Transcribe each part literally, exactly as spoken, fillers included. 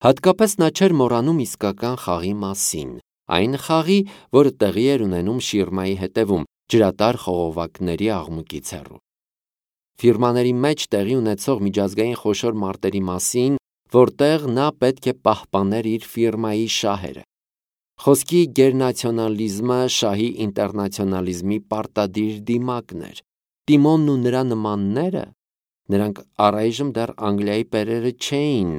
Հատկապես նա չէր մոռանում իսկական խաղի մասին, այն խաղի, որը տեղի էր ունենում շիրմայի հետևում, ջրատար խողովակների աղմուկից հեռու։ Ֆիրմաների մեջ տեղի ունեցող միջազգային խոշոր մարտերի մասին, որտեղ նա պետք է պահպաներ իր ֆիրմայի շահերը։ Խոսքի գերնացիոնալիզմը շահի ինտերնացիոնալիզմի պարտադիր դիմակն էր։ Տիմոնն ու նրա նմանները, նրանք առայժմ դեռ Անգլիայի պերերը չէին,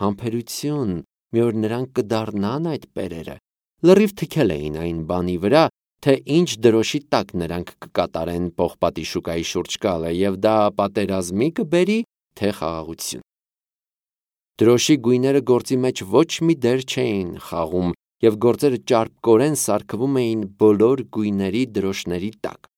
համբերություն, մի օր նրանք կդառնան այդ պերերը, լրիվ թքել էին այն բանի վրա, թե ինչ դրոշի տակ նրանք կկատարեն պողպատի շուկայի շուրջ գալը, և դա պատերազմի կբերի, թե խաղաղություն։ Դրոշի գույները գործի մեջ ոչ մի դեր չէին խաղում, և գործերը ճարպկորեն սարքվում էին բոլոր գույների դրոշների տակ։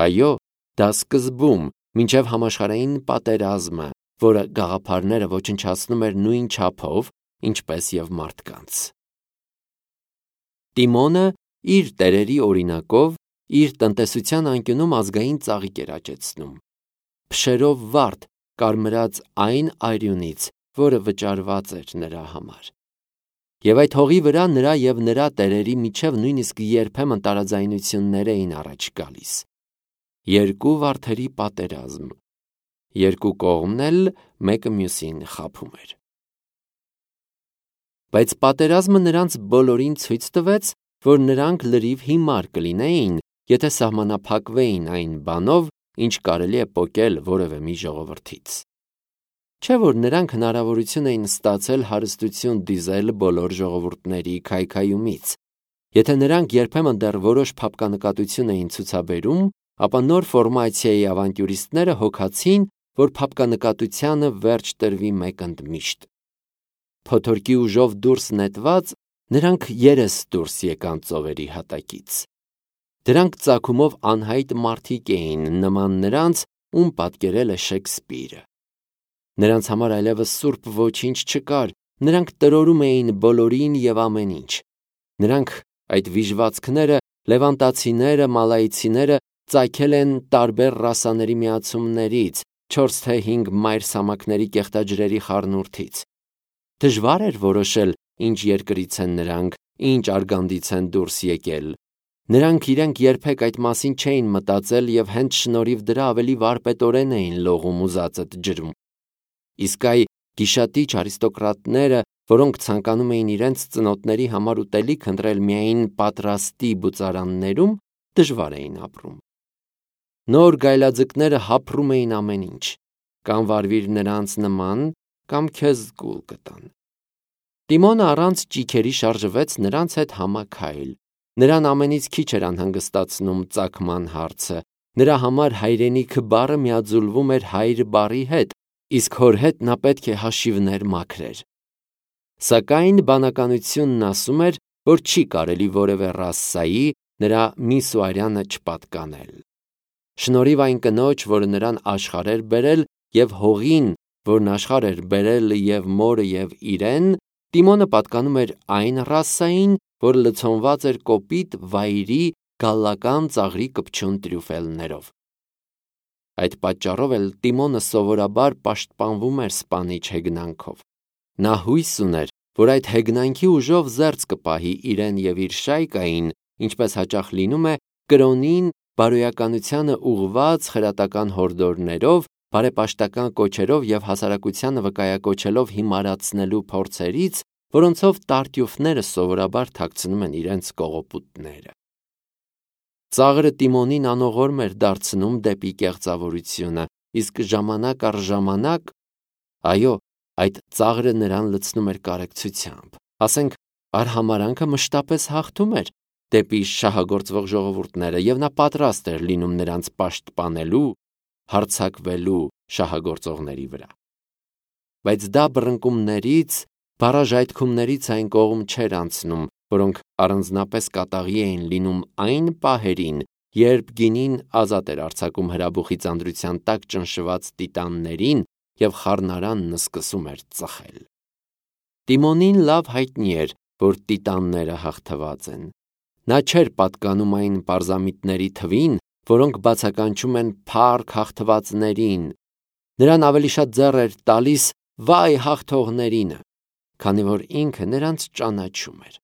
Այո, դա սկզբում, մինչև համաշխարհային պատերազմը, որը գաղափարները ոչնչացնում էր նույն չափով, ինչպես և մարդկանց։ Տիմոնը իր տերերի օրինակով իր տնտեսության անկյունում ազգային ծաղիկ էր աճեցնում, փշերով վարդ կարմրած այն արյունից, որը վճարված էր նրա համար։ Եվ այդ հողի վրա նրա և նրա տերերի միջև նույնիսկ երբեմն տարաձայնություններ էին առաջ գալիս։ Երկու վարդերի պատերազմ, երկու կողմն էլ մեկը մյուսին խաբում էր։ Բայց պատերազմը նրանց բոլորին ցույց տվեց, որ նրանք լրիվ հիմար կլինեին, եթե սահմանափակվեին այն բանով, ինչ կարելի է պոկել որևէ մի ժողովրդից։ Չէ՞ որ նրանք հնարավորություն էին ստացել հարստություն դիզել բոլոր ժողովուրդների քայքայումից։ Եթե նրանք երբեմն դեռ որոշ փափկանկատություն էին ցուցաբերում, ապա նոր ֆորմացիայի ավանտյուրիստները հոգացին, որ փափկանկատությանը վերջ տրվի մեկ ընդմիշտ։ Փոթորկի ուժով դուրս նետված, նրանք երես դուրս եկան ծովերի հատակից։ Դրանք ծագումով անհայտ մարդիկ էին, նման նրանց, ում պատկերել է Շեքսպիրը։ Նրանց համար այլևս սուրբ ոչինչ չկար, նրանք տրորում էին բոլորին և ամեն ինչ։ Նրանք, այդ վիժվածքները, լևանտացիները, մալայցիները, ծագել են տարբեր ռասաների միացումներից, չորս թե հինգ մայրցամաքների կեղտաջրերի խառնուրդից։ Դժվար էր որոշել, ինչ երկրից են նրանք, ինչ արգանդից են դուրս եկել։ Նրանք իրենք երբեք այդ մասին չէին մտածել և հենց շնորհիվ դրա ավելի վարպետորեն էին լողում ու զածդ ջրում։ Իսկ այ գիշատիչ արիստոկրատները, որոնք ցանկանում էին իրենց ծնոտների համար ուտելիք ընտրել միայն պատրաստի բուծարաններում, դժվար էին ապրում։ Նոր գայլաձկները հափռում էին ամեն ինչ, կամ վարվիր նրանց նման, կամ քեզ գուլ կտան։ Տիմոնը առանց ճիգերի շարժվեց նրանց հետ համաքայլ։ Նրան ամենից քիչ էր անհանգստացնում ծագման հարցը։ Նրա համար հայրենիքը բառը միաձուլվում էր հայր բառի հետ, իսկ հոր հետ նա պետք է հաշիվներ մաքրեր։ Սակայն բանականությունն ասում էր, որ չի կարելի որևէ ռասայի նրա միս ու արյանը չպատկանել։ Շնորհիվ այն կնոջ, որը նրան աշխարհ էր բերել, և հողին, որն աշխարհ էր բերել և մորը և իրեն, Տիմոնը պատկանում էր այն ռասային, որը լցոնված էր կոպիտ վայրի գալլական ծաղրի կպչուն տրյուֆելներով։ Այդ պատճառով էլ Տիմոնը սովորաբար պաշտպանվում էր սպանիչ հեգնանքով։ Նա հույս ուներ, որ այդ հեգնանքի ուժով զերծ կպահի իրեն և իր շայկային, ինչպես հաճախ լինում է, կրոնին, բարոյականությանը ուղղված խրատական հորդորներով, բարեպաշտական կոչերով և հասարակությանը վկայակոչելով հիմարացնելու փորձերից, որոնցով տարտյուֆները սովորաբար թաքցնում են իրենց կողոպուտները։ Ծաղրը Տիմոնին անողորմ էր դարձնում դեպի կեղծավորությունը, իսկ ժամանակ առ ժամանակ, այո, այդ ծաղրը նրան լցնում էր կարեկցությամբ, ասենք, արհամարհանքը մշտապես հաղթում էր դեպի շահագործվող ժողովուրդները, և նա պատրաստ էր լինում նրանց պաշտպանելու, հարձակվելու շահագործողների վրա։ Բայց դա բռնկումներից, բառաժայթքումներից այն կողմ չէր անցնում, որոնք առանձնապես կատաղի էին լինում այն պահերին, երբ գինին ազատ էր արձակում հրաբուխի ծանրության տակ ճնշված տիտաններին և խառնարանն սկսում էր ծխել։ Տիմոնին լավ հայտնի էր, որ տիտանները հաղթված են։ Նա չէր պատկանում այն պարզամիտների թվին, որոնք բացականչում են փառք հաղթվածներին։ Նրան ավելի շատ ձեռ էր տալիս վայ հաղթողներինը։ քանի որ ինքը նրանց ճանաչում էր։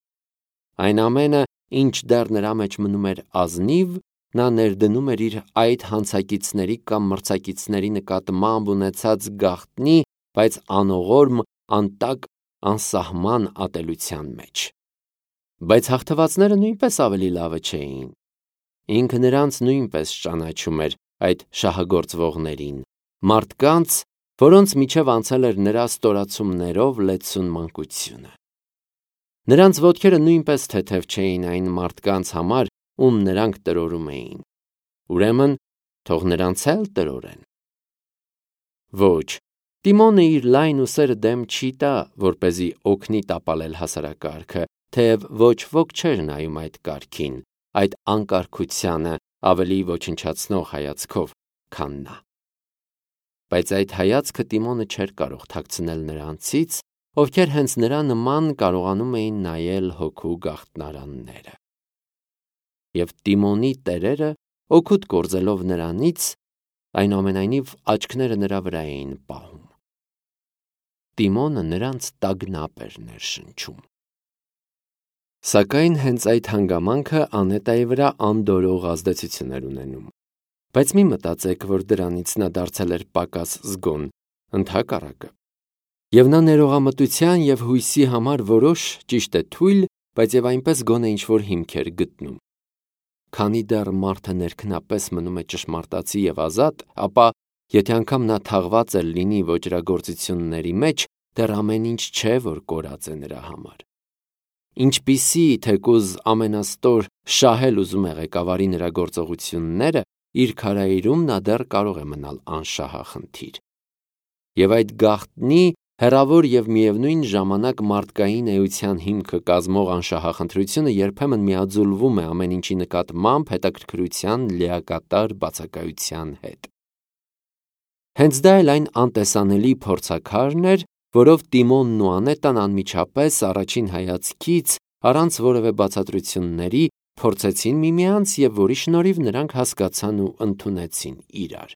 Այն ամենը, ինչ դեռ նրա մեջ մնում էր ազնիվ, նա ներդնում էր իր այդ հանցակիցների կամ մրցակիցների նկատմամբ ունեցած գաղտնի, բայց անողորմ, անտակ, անսահման ատելության մեջ։ Բայց հաղթվածները նույնպես ավելի լավը չէին։ Ինքը նրանց նույնպես ճանաչում էր, այդ շահագործվողներին, մարդկանց, որոնց միջև անցել էր նրա ստորացումներով լեցուն մանկությունը։ Նրանց ոտքերը նույնպես թեթև չէին այն մարդկանց համար, ում նրանք տրորում էին։ Ուրեմն, թող նրանց էլ տրորեն։ Ոչ, Տիմոնը իր լայն ուսերը դեմ չի տա, որպեսզի օգնի տապալել հասարակարգը, թեև ոչ ոք չէր նայում այդ կարգին, այդ անկարգությանը ավելի ոչնչացնող հայացքով, քան նա։ Բայց այդ հայացքը Տիմոնը չէր կարող թաքցնել նրանցից, ովքեր հենց նրա նման կարողանում էին նայել հոգու գաղտնարանները։ Եվ Տիմոնի տերերը, օգուտ գործելով նրանից, այնուամենայնիվ աչքները նրա վրա էին պահում։ Տիմոնը նրանց տագնապ էր ներշնչում։ Սակայն հենց այդ հանգամանքը Անետայի վրա անդորող ազդեցություն էր ունենում։ Բայց մի մտածեք, որ դրանից նա դարձել էր պակաս զգոն, ընդհակառակը։ Եվ նա ներողամտության և հույսի համար որոշ, ճիշտ է, թույլ, բայց և այնպես գոնե ինչ-որ հիմք էր գտնում։ Քանի դեռ մարդը ներքնապես մնում է ճշմարտացի և ազատ, ապա, եթե անգամ նա թաղված էլ լինի ոճրագործությունների մեջ, դեռ ամեն ինչ չէ, որ կորած է նրա համար։ Ինչպիսի թեկուզ ամենաստոր շահել ուզում է ղեկավարի նրա գործողությունները, իր քարայրում նա դեռ կարող է մնալ անշահախնդիր։ Եվ այդ գաղտնի, հեռավոր և միևնույն ժամանակ մարդկային էության հիմքը կազմող անշահախնդրությունը երբեմն միաձուլվում է ամեն ինչի նկատմամբ հետաքրքրության լիակատար բացակայության հետ։ Հենց դա էլ այն անտեսանելի փորձաքարն էր, որով Տիմոնն ու Անետան անմիջապես առաջին հայացքից, առանց որևէ բացատրությունների, փորձեցին միմյանց և որի շնորհիվ նրանք հասկացան ու ընդունեցին իրար։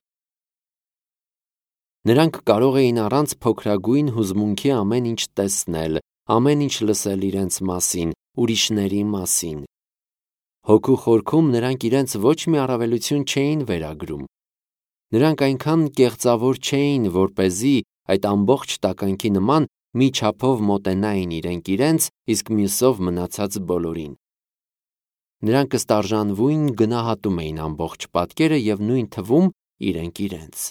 Նրանք կարող էին առանց փոքրագույն հուզմունքի ամեն ինչ տեսնել, ամեն ինչ լսել իրենց մասին, ուրիշների մասին։ Հոգու խորքում նրանք իրենց ոչ մի առավելություն չէին վերագրում։ Նրանք այնքան կեղծավոր չէին, որպեսզի այդ ամբողջ տականքի նման մի չափով մոտենային իրենք իրենց, իսկ մյուսով մնացած բոլորին։ Նրանք ըստարժանվույն գնահատում էին ամբողջ պատկերը և նույն թվում իրենք իրենց։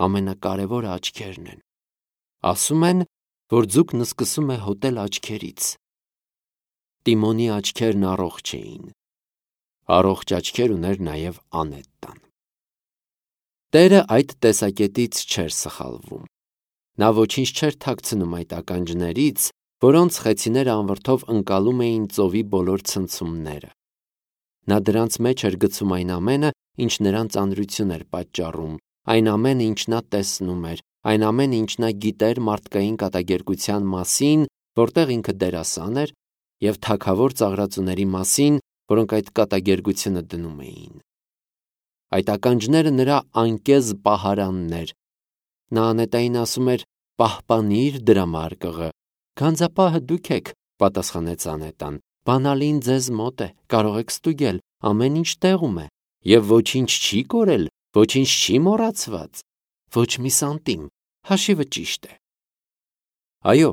Ամենակարևորը աչքերն են։ Ասում են, որ ձուկն սկսում է հոտել աչքերից։ Տիմոնի աչքերն առողջ էին։ Առողջ աչքեր ուներ նաև Անետան։ Տերը այդ տեսակետից չէր սխալվում։ Նա ոչինչ չէր թաքցնում այդ ականջներից, որոնց խեցիները անվրդով ընկալում էին ծովի բոլոր ցնցումները։ Նա դրանց մեջ էր գցում այն ամենը, ինչ նրան ծանրություն էր պատճառում, այն ամենը, ինչ նա տեսնում էր, այն ամենը, ինչ նա գիտեր մարդկային կատակերգության մասին, որտեղ ինքը դերասան էր, և թագավոր ծաղրածուների մասին, որոնք այդ կատակերգությունը դնում էին։ Այդ ականջները նրա անկեզ պահարանն էր։ Նա Անետային ասում էր. «Պահպանիր դրամարկղը»։ «Գանձապահը դուք եք», պատասխանեց Անետան։ «Բանալին ձեզ մոտ է, կարող եք ստուգել, ամեն ինչ տեղում է, և ոչինչ չի կորել, ոչինչ չի մոռացված, ոչ մի սանտիմ, հաշիվը ճիշտ է»։ Այո,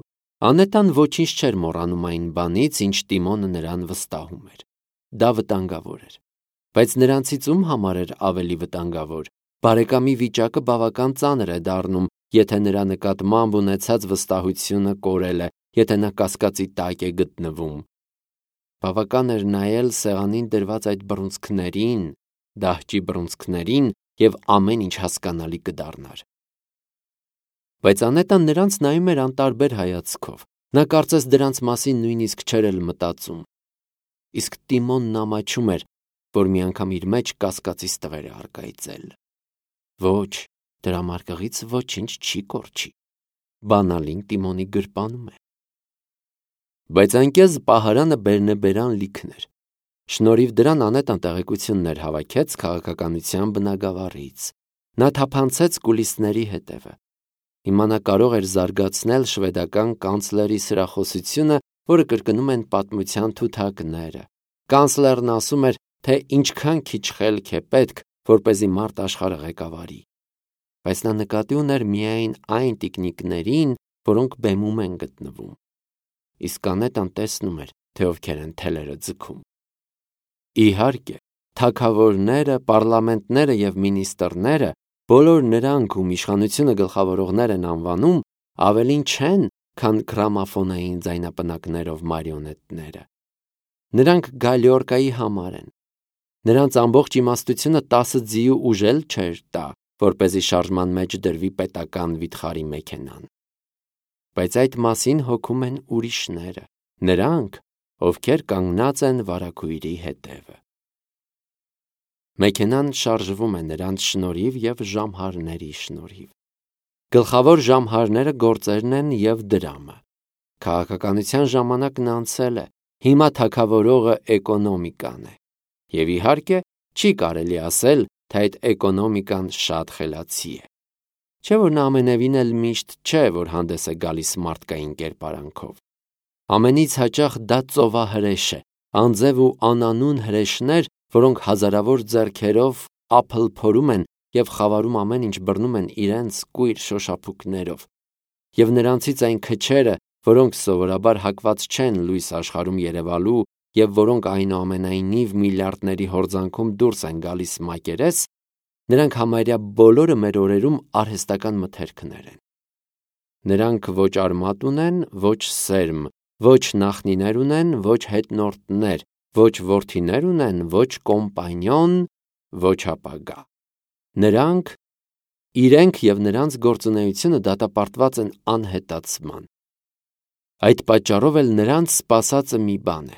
Անետան ոչինչ չէր մոռանում այն բանից, ինչ Տիմոնը նրան վստահում էր։ Դա վտանգավոր էր։ Բայց նրանցից ում համար էր ավելի վտանգավոր։ Բարեկամի վիճակը բավական ծանր է դառնում, եթե նրա նկատմամբ ունեցած վստահությունը կորել է, եթե նա կասկածի տակ է գտնվում։ Բավական էր նայել սեղանին դրված այդ բռունցքներին, դահճի բռունցքներին, և ամեն ինչ հասկանալի կդառնար։ Բայց Անետան նրանց նայում էր անտարբեր հայացքով։ Նա կարծես դրանց մասին նույնիսկ չէր էլ մտածում։ Իսկ Տիմոնն ամաչում էր, որ մի անգամ իր մեջ կասկածի ստվեր է առկայծել։ Ոչ, դրամարկղից ոչինչ չի կորչի։ Բանալին Տիմոնի գրպանում է։ Բայց անկեզ պահարանը բերնեբերան լիքն էր։ Շնորհիվ դրան Անետան տեղեկություններ հավաքեց քաղաքականության բնագավառից։ Նա թափանցեց կուլիսների հետևը։ Հիմա նա կարող էր զարգացնել շվեդական կանցլերի սրախոսությունը, որը կրկնում են պատմության թութակները։ Կանցլերն ասում էր, թե ինչքան քիչ խելք է պետք, որպեսզի մարդ աշխարհը ղեկավարի։ Բայց նա նկատի ուներ միայն այն տիկնիկներին, որոնք բեմում են գտնվում։ Իսկ Անետան տեսնում էր, թե ովքեր են թելերը ձգում։ Իհարկե, թագավորները, պարլամենտները եւ մինիստրները, բոլոր նրանք, ում իշխանությունը գլխավորողներ են անվանում, ավելին չեն, քան գրամաֆոնային ձայնապնակներով մարիոնետները։ Նրանք գալյորկայի համար են։ Նրանց ամբողջ իմաստությունը տասը ձիու ուժ էլ չէր տա, որպեսզի շարժման մեջ դրվի պետական վիթխարի մեքենան։ Բայց այդ մասին հոգում են ուրիշները, նրանք, ովքեր կանգնած են վարագույրի հետևը։ Մեքենան շարժվում է նրանց շնորհիվ եւ ժամհարների շնորհիվ։ Գլխավոր ժամհարները գործերն են եւ դրամը։ Քաղաքականության ժամանակն անցել է, հիմա թագավորողը էկոնոմիկան է։ Եվ իհարկե, չի կարելի ասել, թե այդ էկոնոմիկան շատ խելացի է։ Չէ՞ որ նա ամենևին էլ միշտ չէ, որ հանդես է գալիս մարդկային կերպարանքով։ Ամենից հաճախ դա ծովահրեշ է, անձև ու անանուն հրեշներ, որոնք հազարավոր ձեռքերով ափլ փորում են եւ խավարում ամեն ինչ բռնում են իրենց կույր շոշափուկներով։ Եվ նրանցից այն քչերը, որոնք սովորաբար հակված չեն լույս աշխարհում երևալու եւ որոնք այնուամենայնիվ միլիարդների հորձանքում դուրս են գալիս մակերես, նրանք համարյա բոլորը մեր օրերում արհեստական մթերքներ են։ Նրանք ոչ արմատ ունեն, ոչ սերմ, ոչ նախնիներ ունեն, ոչ հետնորդներ, ոչ որդիներ ունեն, ոչ կոմպանյոն, ոչ ապագա։ Նրանք, իրենք եւ նրանց գործունեությունը դատապարտված են անհետացման։ Այդ պատճառով էլ նրանց սպասածը մի բան է,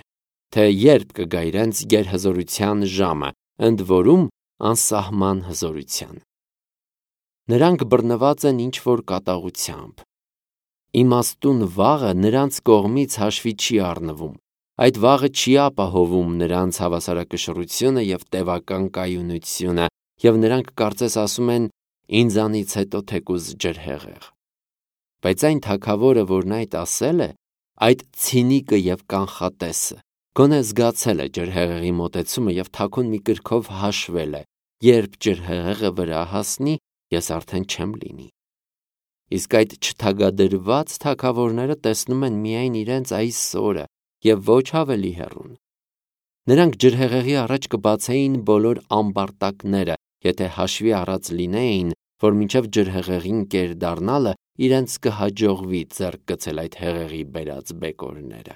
թե երբ կգա իրենց գերհզորության ժամը, ընդ որում անսահման հզորության։ Նրանք բռնված են ինչ-որ կատաղությամբ։ Իմաստուն վաղը նրանց կողմից հաշվի չի առնվում։ Այդ վաղը չի ապահովում նրանց հավասարակշռությունը եւ տևական կայունությունը, եւ նրանք կարծես ասում են. «Ինձանից հետո թեկուզ ջրհեղեղ»։ Բայց այն թագավորը, որն այդ ասել է, այդ ցինիկը եւ կանխատեսը, գոնե զգացել է ջրհեղեղի մոտեցումը եւ թաքուն մի կրքով հաշվել է. երբ ջրհեղեղը վրա հասնի, ես արդեն չեմ լինի։ Իսկ այդ չթագադրված թագավորները տեսնում են միայն իրենց այսօրը եւ ոչ ավելի հեռուն։ Նրանք ջրհեղեղի առաջ կբացեին բոլոր ամբարտակները, եթե հաշվի առած լինեին, որ մինչև ջրհեղեղին կեր դառնալը իրենց կհաջողվի ձեռք գցել այդ հեղեղի բերած բեկորները։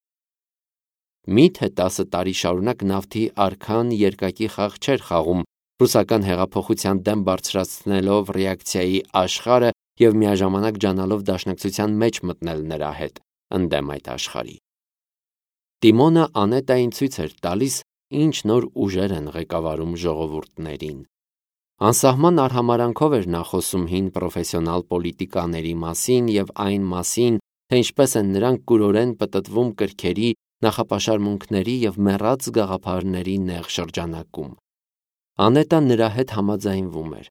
Միթե տասը տարի շարունակ նավթի արքան երկակի խաղ չէր խաղում, ռուսական հեղափոխության դեմ բարձրացնելով ռեակցիայի աշխարհը եւ միաժամանակ ջանալով դաշնակցության մեջ մտնել նրա հետ, ընդդեմ այդ աշխարհի։ Տիմոնը Անետային ցույց էր տալիս, ինչ նոր ուժեր են ղեկավարում ժողովուրդներին։ Անսահման արհամարանքով էր նա խոսում հին պրոֆեսիոնալ պոլիտիկաների մասին եւ այն մասին, թե ինչպես են նրանք կուրորեն պտտվում կրքերի, նախապաշարմունքների եւ մեռած գաղափարների նեղ շրջանակում։ Անետան նրա հետ համաձայնվում էր։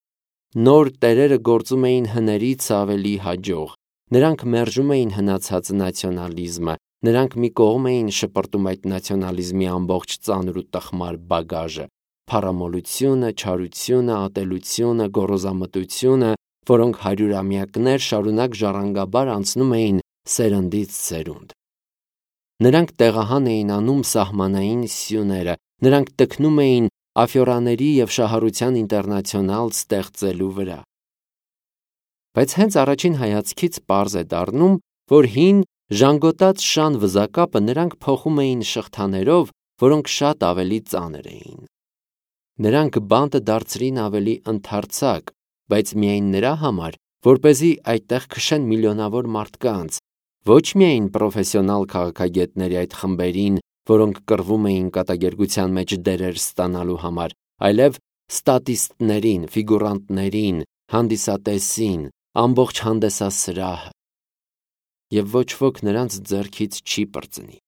Նոր տերերը գործում էին հներից ավելի հաջող։ Նրանք մերժում էին հնացած նացիոնալիզմը, նրանք մի կողմ էին շպրտում այդ նացիոնալիզմի ամբողջ ծանր ու տխմար բագաժը, փառամոլությունը, չարությունը, ատելությունը, գոռոզամտությունը, որոնք հարյուրամյակներ շարունակ ժառանգաբար անցնում էին սերնդից սերունդ։ Նրանք տեղահան էին անում սահմանային սյուները, նրանք տքնում էին աֆյորաների եւ շահառության ինտերնացիոնալ ստեղծելու վրա։ Բայց հենց առաջին հայացքից պարզ է դառնում, որ հին ժանգոտած շան վզակապը նրանք փոխում էին շղթաներով, որոնք շատ ավելի ծանր էին։ Նրանք բանտը դարձրին ավելի ընդարձակ, բայց միայն նրա համար, որպեսզի այդտեղ քշեն միլիոնավոր մարդկանց, ոչ միայն պրոֆեսիոնալ քաղաքագետների այդ խմբերին, որոնք կռվում էին կատակերգության մեջ դերեր ստանալու համար, այլև ստատիստներին, ֆիգուրանտներին, հանդիսատեսին, ամբողջ հանդեսասրահը։ Եվ ոչ ոք նրանց ձեռքից չի պրծնի։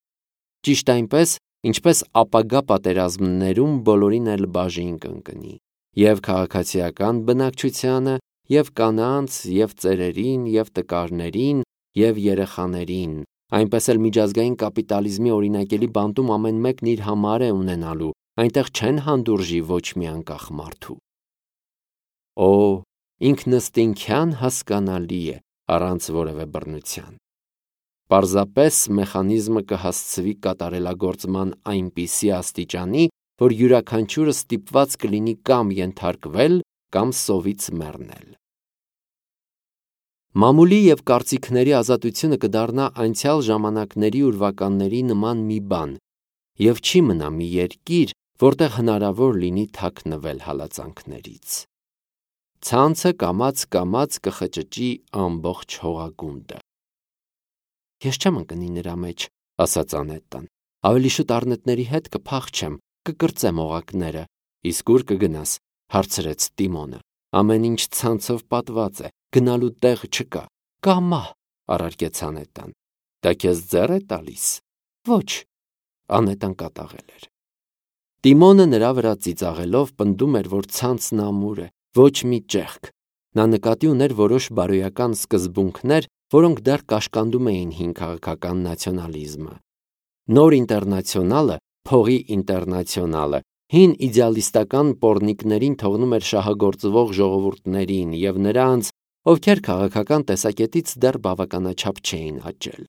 Ճիշտ այնպես, ինչպես ապագա պատերազմներում բոլորին էլ բաժին կընկնի, եւ քաղաքացիական բնակչությանը, և կանանց, և ծերերին, և տկարներին, և երեխաներին, այնպես էլ միջազգային կապիտալիզմի օրինակելի բանտում ամեն մեկն իր համար է ունենալու, այնտեղ չեն հանդուրժի ոչ մի անկախ մարդու։ Օ, ինքնըստինքյան հասկանալի է, առանց որևէ բռնության։ Պարզապես մեխանիզմը կհասցվի կատարելագործման այնպիսի աստիճանի, որ յուրաքանչյուրը ստիպված կլինի կամ ենթարկվել, կամ սովից մեռնել։ Մամուլի և կարծիքների ազատությունը կդառնա անցյալ ժամանակների ուրվականների նման մի բան, և չի մնա մի երկիր, որտեղ հնարավոր լինի թաքնվել հալածանքներից։ Ցանցը կամաց-կամաց կխճճի ամբողջ հողագունդը։ Ես չեմ ընկնի նրա մեջ, ասաց Անետտան, ավելի շուտ առնետների հետ կփախչեմ, կկրծեմ օղակները։ Իսկ ուր կգնաս, հարցրեց Տիմոնը։ Ամեն ինչ ցանցով պատված է, գնալու տեղ չկա։ Կամա, առարկեց Անետտան։ Դա քեզ ձեռ է տալիս։ Ոչ, Անետտան կատաղել էր։ Տիմոնը նրա վրա ծիծաղելով պնդում էր, որ ցանցն ամուր է, ոչ մի ճեղք։ Նա նկատի ուներ որոշ բարոյական սկզբունքներ, որոնք դեռ կաշկանդում էին հին քաղաքական նացիոնալիզմը։ Նոր ինտերնացիոնալը, փողի ինտերնացիոնալը, հին իդեալիստական պոռնիկներին թողնում էր շահագործվող ժողովուրդներին և նրանց, ովքեր քաղաքական տեսակետից դեռ բավականաչափ չէին աճել։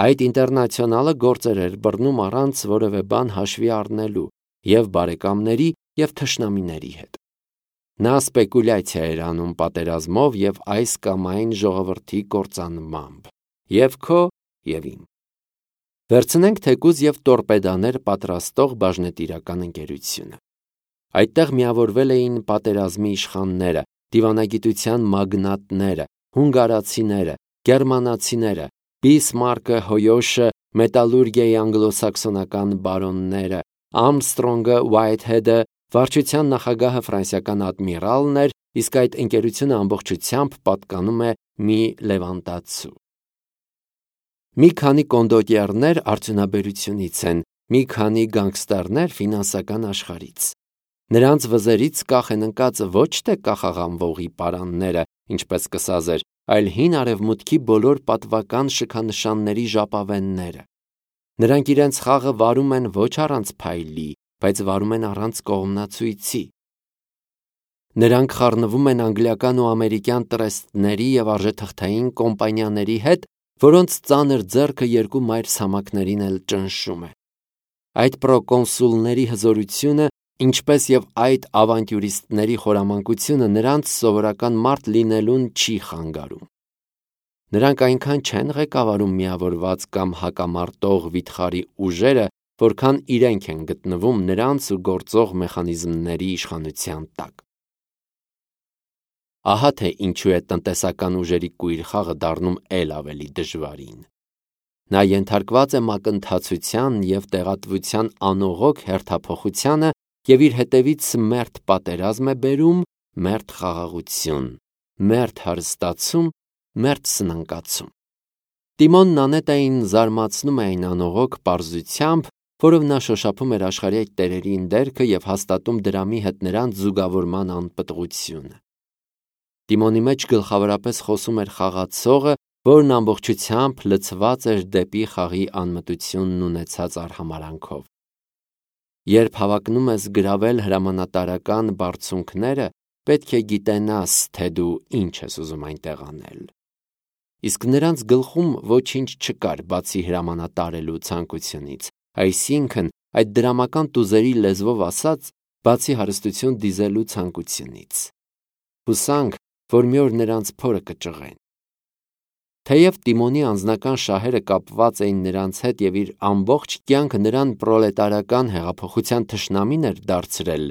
Այդ ինտերնացիոնալը գործեր էր բռնում առանց որևէ բան հաշվի առնելու և բարեկամների, և թշնամիների հետ։ Նա սպեկուլյացիա էր անում պատերազմով և այս կամ այն ժողովրդի կործանմամբ, և քո, և իմ։ Վերցնենք թեկուզ և տորպեդաներ պատրաստող բաժնետիրական ընկերությունը։ Այդտեղ միավորվել էին պատերազմի իշխանները, դիվանագիտության մագնատները, հունգարացիները, գերմանացիները, Բիսմարկը, Հոյոշը, մետալուրգիայի անգլոսաքսոնական բարոնները, Արմսթրոնգը, Ուայթհեդը, վարչության նախագահը ֆրանսիական ադմիրալն էր, իսկ այդ ընկերությունը ամբողջությամբ պատկանում է մի լևանտացու։ Մի քանի կոնդոտյերներ արդյունաբերությունից են, մի քանի գանգստերներ ֆինանսական աշխարհից։ Նրանց վզերից կախ են ընկած ոչ թե կախաղանվողի պարանները, ինչպես կսազեր, այլ հին արևմուտքի բոլոր պատվական շքանշանների ժապավենները։ Նրանք իրենց խաղը վարում են ոչ առանց փայլի, բայց վարում են առանց կողմնացույցի։ Նրանք խառնվում են անգլիական ու ամերիկյան տրեստների և արժեթղթային կոմպանիաների հետ, որոնց ծանր ձեռքը երկու մայրցամաքներին էլ ճնշում է։ Այդ պրոկոնսուլների հզորությունը, ինչպես և այդ ավանտյուրիստների խորամանկությունը նրանց սովորական մարդ լինելուն չի խանգարում։ Նրանք այնքան չեն ղեկավարում միավորված կամ հակամարտող վիթխարի ուժերը, որքան իրենք են գտնվում նրանց ու գործող մեխանիզմների իշխանության տակ։ Ահա թե ինչու է տնտեսական ուժերի կույր խաղը դառնում էլ ավելի դժվարին։ Նա ենթարկված է մակընթացության և տեղատվության անողոք հերթափոխությանը և իր հետևից մերթ պատերազմ է բերում, մերթ խաղաղություն, մերթ հարստացում, մերթ սնանկացում։ Տիմոնն Անետային զարմացնում է այն անողոք պարզությամբ, որով նա շոշափում էր աշխարհի այդ տերերին դերքը և հաստատում դրամի հետ նրանց զուգավորման անպտղությունը։ Տիմոնի մեջ գլխավորապես խոսում էր խաղացողը, որն ամբողջությամբ լցված էր դեպի խաղի անմտությունն ունեցած արհամարհանքով։ Երբ հավակնում ես գրավել հրամանատարական բարձունքները, պետք է գիտենաս, թե դու ինչ ես ուզում այնտեղ անել։ Իսկ նրանց գլխում ոչինչ չկար, բացի հրամանատարելու ցանկությունից, այսինքն, այդ դրամական տուզերի լեզվով ասած, բացի հարստություն դիզելու ցանկությունից։ Հուսանք, որ մի օր նրանց փորը կճղեն։ Թեև Տիմոնի անձնական շահերը կապված էին նրանց հետ և իր ամբողջ կյանքը նրան պրոլետարական հեղափոխության թշնամին էր դարձրել,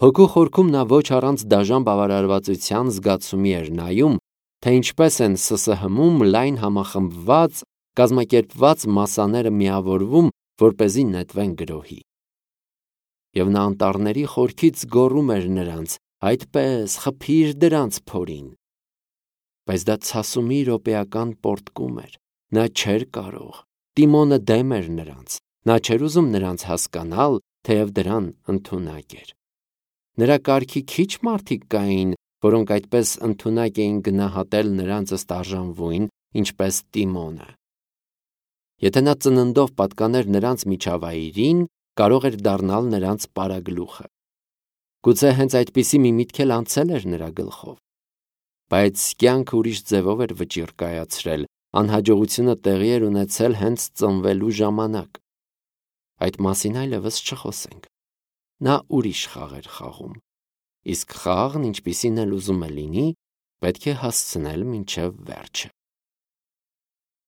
հոգու խորքում նա ոչ առանց դաժան բավարարվածության զգացումի էր նայում, թե ինչպես են Ս Ս Հ-ում լայն համախմբված, կազմակերպված մասաները միավորվում, որպեսզի նետվեն գրոհի։ Եվ նա անտառների խորքից գոռում էր նրանց. «Այդպես, խփի՛ր դրանց փորին»։ Բայց դա ցասումի րոպեական պոռթկում էր։ Նա չէր կարող։ Տիմոնը դեմ էր նրանց։ Նա չէր ուզում նրանց հասկանալ, թեև դրան ընդունակ էր։ Նրա կարգի քիչ մարդիկ կային, որոնք այդպես ընդունակ էին գնահատել նրանց ըստ արժանվույն, ինչպես Տիմոնը։ Եթե նա ծննդով պատկաներ նրանց միջավայրին, կարող էր դառնալ նրանց պարագլուխը։ Գուցե հենց այդպիսի մի միտք էլ անցել էր նրա գլխով։ Բայց կյանքը ուրիշ ձևով էր վճիռ կայացրել, անհաջողությունը տեղի էր ունեցել հենց ծնվելու ժամանակ։ Այդ մասին այլևս չխոսենք։ Նա ուրիշ խաղ էր խաղում, իսկ խաղն, ինչպիսին էլ ուզում է լինի, պետք է հասցնել մինչև վերջը։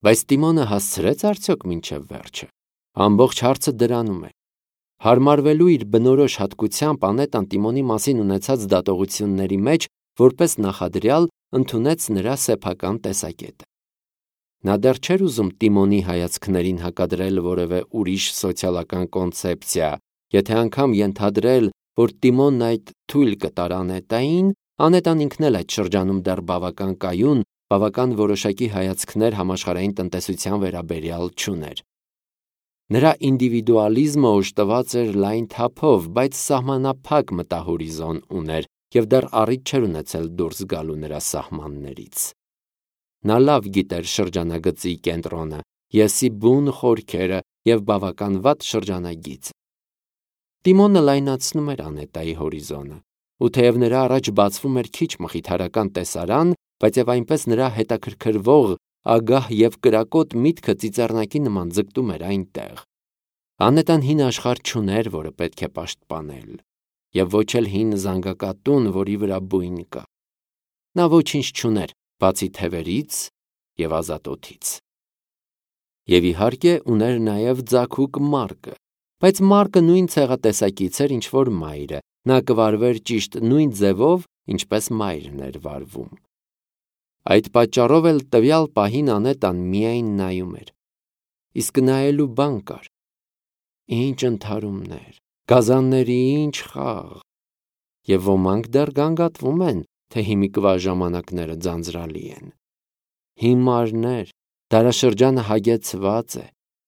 Բայց Տիմոնը հասցրեց արդյոք մինչև վերջը։ Ամբողջ հարցը դրանում է։ Հարմարվելու իր բնորոշ հատկությամբ Անետան Տիմոնի մասին ունեցած դատողությունների մեջ որպես նախադրյալ ընդունեց նրա սեփական տեսակետը։ Նա դեռ չէր ուզում Տիմոնի հայացքներին հակադրել որևէ ուրիշ սոցիալական կոնցեպցիա, եթե անգամ ենթադրել, որ Տիմոնն այդ թույլ կտար Անետային, Անետան ինքն էլ այդ շրջանում դեռ բավական կայուն, բավական որոշակի հայացքներ համաշխարհային տնտեսության վերաբերյալ չուներ։ Նրա ինդիվիդուալիզմը օժտված էր լայն թափով, բայց սահմանափակ մտահորիզոն ուներ և դեռ առիթ չէր ունեցել դուրս գալու նրա սահմաններից։ Նա լավ գիտեր շրջանագծի կենտրոնը, եսի բուն խորքերը և բավական վատ շրջանագիծը։ Տիմոնը լայնացնում էր Անետայի հորիզոնը, ու թեև նրա առաջ բացվում էր քիչ մխիթարական տեսարան, բայց և այնպես նրա հետաքրքրվող, ագահ և կրակոտ միտքը ծիծեռնակի նման ձգտում էր այնտեղ։ Անետան հին աշխարհ չուներ, որը պետք է պաշտպանել, և ոչ էլ հին զանգակատուն, որի վրա բույն կա։ Նա ոչինչ չուներ, բացի թևերից և ազատոթից։ Եվ իհարկե ուներ նաև ձագուկ Մարկը, բայց Մարկը նույն ցեղատեսակից էր, ինչ որ մայրը, նա կվարվեր ճիշտ նույն ձևով, ինչպես մայրն էր վարվում։ Այդ պատճառով էլ տվյալ պահին Անետան միայն նայում էր։ Իսկ նայելու բան կար։ Ինչ ընդհարումներ, գազանների ինչ խաղ։ Եվ ոմանք դեռ գանգատվում են, թե հիմիկվա ժամանակները ձանձրալի են։ Հիմարներ, դարաշրջանը հագեցված է։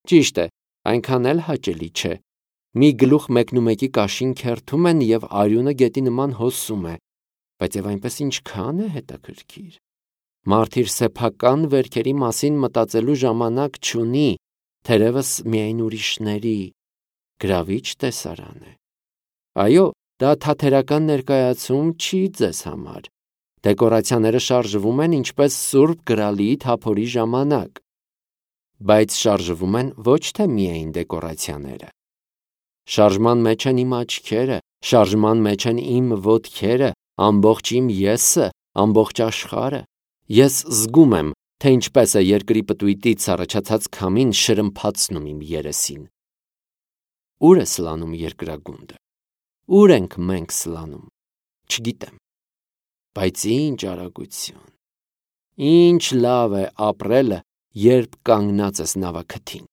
Ճիշտ է, այնքան էլ հաճելի չէ։ Մի գլուխ մեկնումեկի կաշին քերթում են և արյունը գետի նման հոսում է, բայց և այնպես ինչքան է հետաքրքիր։ Մարդ իր սեփական վերքերի մասին մտածելու ժամանակ չունի, թերևս միայն ուրիշների։ Գրավիչ տեսարան է։ Այո, դա թատերական ներկայացում չի ձեզ համար։ Դեկորացիաները շարժվում են ինչպես Սուրբ Գրալի թափորի ժամանակ։ Բայց շարժվում են ոչ թե միայն դեկորացիաները։ Շարժման մեջ են իմ աչքերը, շարժման մեջ են իմ ոտքերը, ամբողջ իմ եսը, ամբողջ աշխարհը։ Ես զգում եմ, թե ինչպես է երկրի պտույտից առաջացած քամին շրմփացնում իմ երեսին։ Ո՞ւր է սլանում երկրագունդը։ Ո՞ւր ենք մենք սլանում։ Չգիտեմ։ Բայց ինչ արագություն։ Ինչ լավ է ապրելը, երբ կանգնած ես նավաքթին։